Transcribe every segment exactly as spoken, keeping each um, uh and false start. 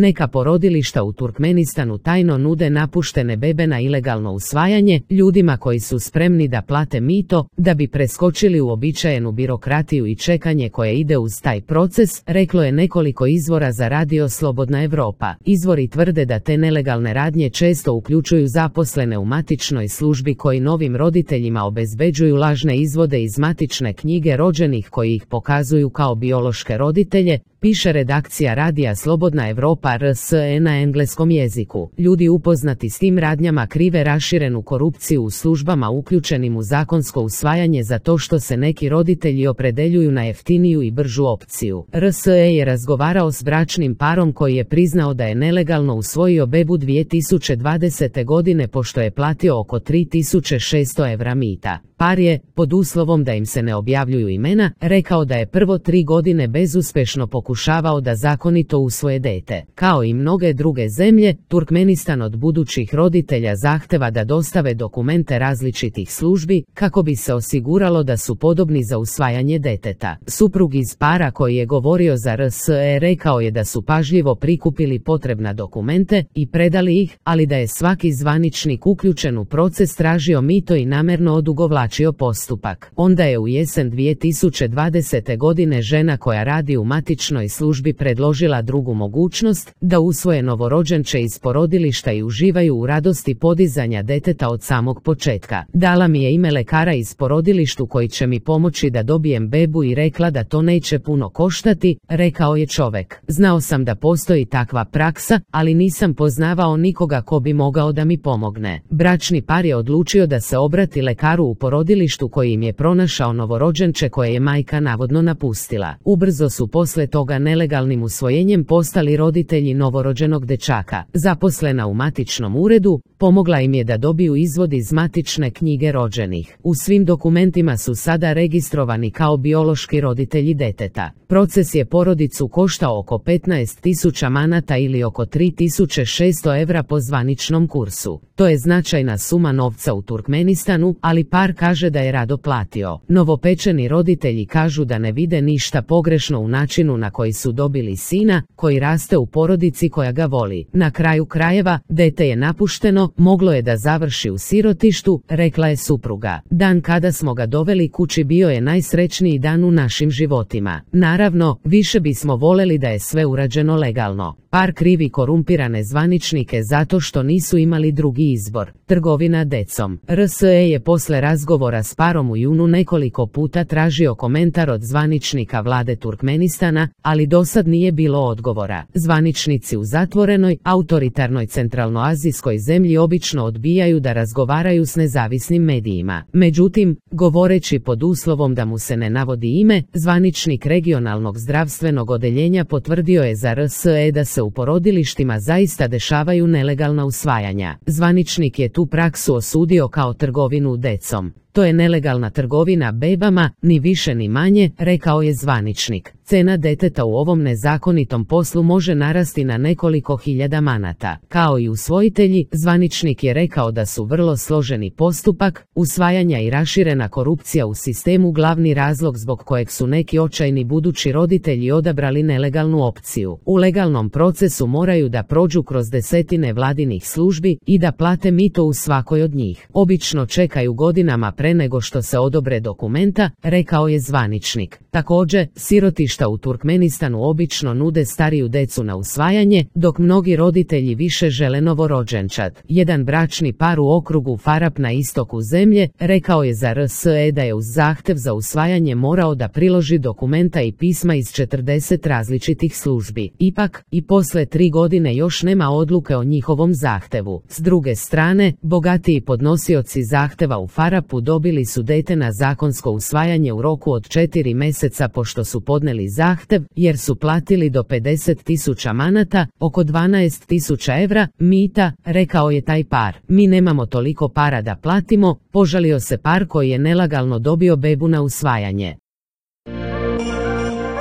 Neka porodilišta u Turkmenistanu tajno nude napuštene bebe na ilegalno usvajanje ljudima koji su spremni da plate mito da bi preskočili uobičajenu birokratiju i čekanje koje ide uz taj proces, reklo je nekoliko izvora za radio Slobodna Evropa. Izvori tvrde da te nelegalne radnje često uključuju zaposlene u matičnoj službi koji novim roditeljima obezbeđuju lažne izvode iz matične knjige rođenih koji ih pokazuju kao biološke roditelje, piše redakcija radija Slobodna Evropa R S E na engleskom jeziku. Ljudi upoznati s tim radnjama krive raširenu korupciju u službama uključenim u zakonsko usvajanje za to što se neki roditelji opredeljuju na jeftiniju i bržu opciju. R S E je razgovarao s bračnim parom koji je priznao da je nelegalno usvojio bebu dvije tisuće dvadesete godine pošto je platio oko tri tisuće šesto evra mita. Par je, pod uslovom da im se ne objavljuju imena, rekao da je prvo tri godine bezuspešno pokušavao da zakonito usvoje dete. Kao i mnoge druge zemlje, Turkmenistan od budućih roditelja zahteva da dostave dokumente različitih službi kako bi se osiguralo da su podobni za usvajanje deteta. Suprug iz para koji je govorio za R S E rekao je da su pažljivo prikupili potrebna dokumente i predali ih, ali da je svaki zvaničnik uključen u proces tražio mito i namerno odugovlačio postupak. Onda je u jesen dvije tisuće dvadesete godine žena koja radi u matičnoj službi predložila drugu mogućnost, da usvoje novorođenče iz porodilišta i uživaju u radosti podizanja deteta od samog početka. Dala mi je ime lekara iz porodilištu koji će mi pomoći da dobijem bebu i rekla da to neće puno koštati, rekao je čovek. Znao sam da postoji takva praksa, ali nisam poznavao nikoga ko bi mogao da mi pomogne. Bračni par je odlučio da se obrati lekaru u porodilištu koji im je pronašao novorođenče koje je majka navodno napustila. Ubrzo su posle toga nelegalnim usvojenjem postali roditelji novorođenog dečaka. Zaposlena u matičnom uredu, pomogla im je da dobiju izvod iz matične knjige rođenih. U svim dokumentima su sada registrovani kao biološki roditelji deteta. Proces je porodicu koštao oko petnaest tisuća manata ili oko tri tisuće šesto evra po zvaničnom kursu. To je značajna suma novca u Turkmenistanu, ali par kaže da je rado platio. Novopečeni roditelji kažu da ne vide ništa pogrešno u načinu na koji su dobili sina, koji raste u porodici koja ga voli. Na kraju krajeva, dete je napušteno, moglo je da završi u sirotištu, rekla je supruga. Dan kada smo ga doveli kući bio je najsrećniji dan u našim životima. Naravno, više bismo voleli da je sve urađeno legalno. Par krivi korumpirane zvaničnike zato što nisu imali drugi izbor. Trgovina decom. R S E je posle razgovora s parom u junu nekoliko puta tražio komentar od zvaničnika vlade Turkmenistana, ali dosad nije bilo odgovora. Zvaničnici u zatvorenoj, autoritarnoj centralnoazijskoj zemlji obično odbijaju da razgovaraju s nezavisnim medijima. Međutim, govoreći pod uslovom da mu se ne navodi ime, zvaničnik regionalnog zdravstvenog odeljenja potvrdio je za R S E da se u porodilištima zaista dešavaju nelegalna usvajanja. Zvaničnik je tu praksu osudio kao trgovinu decom. To je nelegalna trgovina bebama, ni više ni manje, rekao je zvaničnik. Cena deteta u ovom nezakonitom poslu može narasti na nekoliko hiljada manata. Kao i usvojitelji, zvaničnik je rekao da su vrlo složeni postupak, usvajanja i raširena korupcija u sistemu glavni razlog zbog kojeg su neki očajni budući roditelji odabrali nelegalnu opciju. U legalnom procesu moraju da prođu kroz desetine vladinih službi i da plate mito u svakoj od njih. Obično čekaju godinama pre nego što se odobre dokumenta, rekao je zvaničnik. Također, sirotišta u Turkmenistanu obično nude stariju decu na usvajanje, dok mnogi roditelji više žele novorođenčad. Jedan bračni par u okrugu Farab na istoku zemlje rekao je za R S E da je uz zahtev za usvajanje morao da priloži dokumenta i pisma iz četrdeset različitih službi. Ipak, i posle tri godine još nema odluke o njihovom zahtevu. S druge strane, bogatiji podnosioci zahteva u Farabu dobili su dete na zakonsko usvajanje u roku od četiri meseca pošto su podneli zahtev, jer su platili do pedeset tisuća manata, oko dvanaest tisuća evra, mita, rekao je taj par. Mi nemamo toliko para da platimo, požalio se par koji je nelegalno dobio bebu na usvajanje.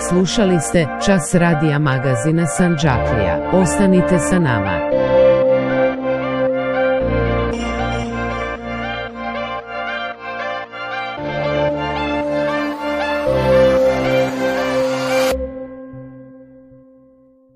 Slušali ste Čas radija magazina Sandžaklija. Ostanite sa nama.